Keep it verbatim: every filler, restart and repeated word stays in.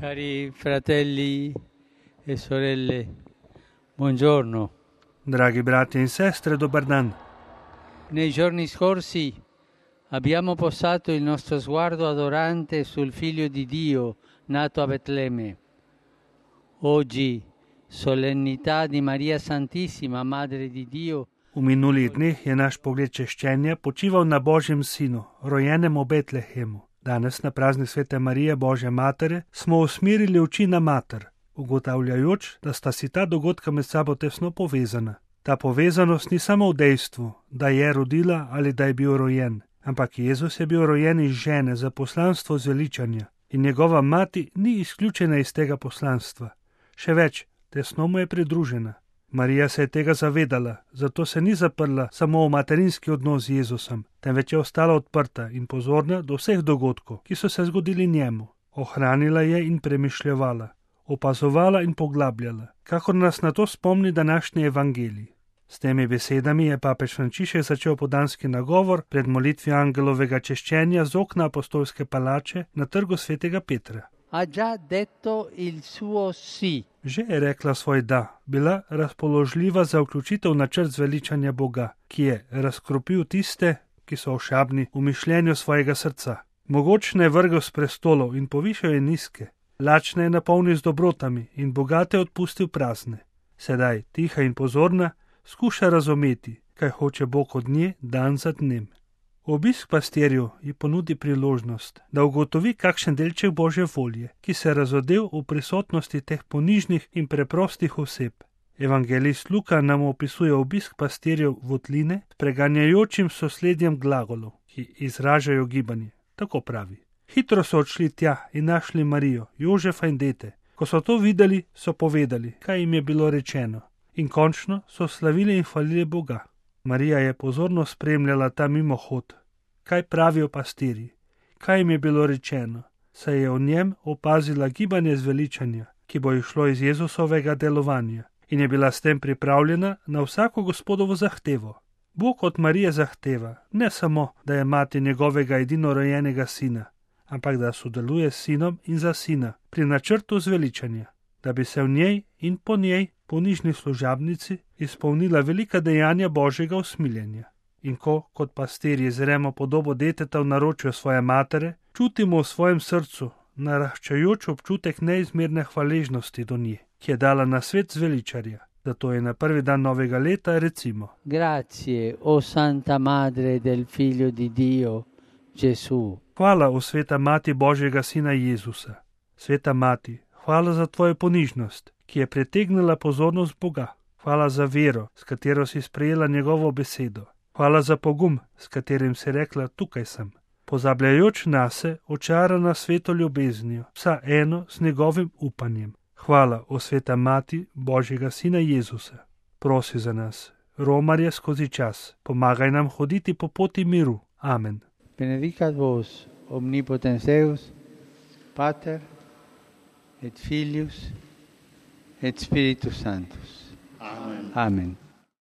Cari fratelli e sorelle, buongiorno. Dragi brati e sestre, dobar dan. Nei giorni scorsi abbiamo posato il nostro sguardo adorante sul Figlio di Dio nato a Betlemme. Oggi, solennità di Maria Santissima, Madre di Dio. V minulih dneh je naš pogled češčenja počival na Božjem sinu, rojenem v Betlehemu. Danes na praznik Svete Marije, Božje matere, smo usmerili oči na mater, ugotavljajoč, da sta si ta dogodka med sabo tesno povezana. Ta povezanost ni samo v dejstvu, da je rodila ali da je bil rojen, ampak Jezus je bil rojen iz žene za poslanstvo zveličanja in njegova mati ni izključena iz tega poslanstva. Še več, tesno mu je pridružena. Marija se je tega zavedala, zato se ni zaprla samo v materinski odnos z Jezusom, temveč je ostala odprta in pozorna do vseh dogodkov, ki so se zgodili njemu. Ohranila je in premišljevala, opazovala in poglabljala, kakor nas na to spomni današnji evangelij. S temi besedami je papež Frančišek začel podanski nagovor pred molitvijo angelovega češčenja z okna apostolske palače na trgu svetega Petra. Ha già detto il suo sì. Že je rekla svoj da, bila razpoložljiva za vključitev načrt zveličanja Boga, ki je razkropil tiste, ki so ošabni v mišljenju svojega srca. Mogočne je vrgel s prestolov in povišal je nizke, lačne je napolnil z dobrotami in bogate odpustil prazne. Sedaj, tiha in pozorna, skuša razumeti, kaj hoče Bog od nje dan za dnem. Obisk pastirju ji ponudi priložnost, da ugotovi kakšen delček Božje volje, ki se je razodel v prisotnosti teh ponižnih in preprostih oseb. Evangelist Luka nam opisuje obisk pastirjev votline s preganjajočim sosledjem glagolov, ki izražajo gibanje. Tako pravi. Hitro so odšli tja in našli Marijo, Jožefa in dete. Ko so to videli, so povedali, kaj jim je bilo rečeno. In končno so slavili in hvalili Boga. Marija je pozorno spremljala ta mimohod. Kaj pravijo pastirji? Kaj jim je bilo rečeno? Saj je v njem opazila gibanje zveličanja, ki bo išlo iz Jezusovega delovanja in je bila s tem pripravljena na vsako Gospodovo zahtevo. Bog od Marije zahteva ne samo, da je mati njegovega edinorojenega sina, ampak da sodeluje s sinom in za sina pri načrtu zveličanja, da bi se v njej in po njej ponižni služabnici izpolnila velika dejanja Božjega usmiljenja. In ko, kot pastirji, zremo podobo deteta v naročju svoje matere, čutimo v svojem srcu naraščajoč občutek neizmerne hvaležnosti do nje, ki je dala na svet zveličarja. Zato je na prvi dan novega leta recimo: Grazie, o Santa Madre del Figlio di Dio, Gesù. Hvala, o sveta mati Božjega sina Jezusa. Sveta mati, hvala za tvojo ponižnost, ki je pritegnila pozornost Boga. Hvala za vero, s katero si sprejela njegovo besedo. Hvala za pogum, s katerim si rekla, tukaj sem. Pozabljajoč nase, očarana sveto ljubeznijo, vsa eno s njegovim upanjem. Hvala, o sveta mati Božjega sina Jezusa. Prosi za nas, romarje skozi čas, pomagaj nam hoditi po poti miru. Amen. Benedicat vos, omnipotens Deus, Pater et Filius et Spiritus Sanctus. Amen. Amen.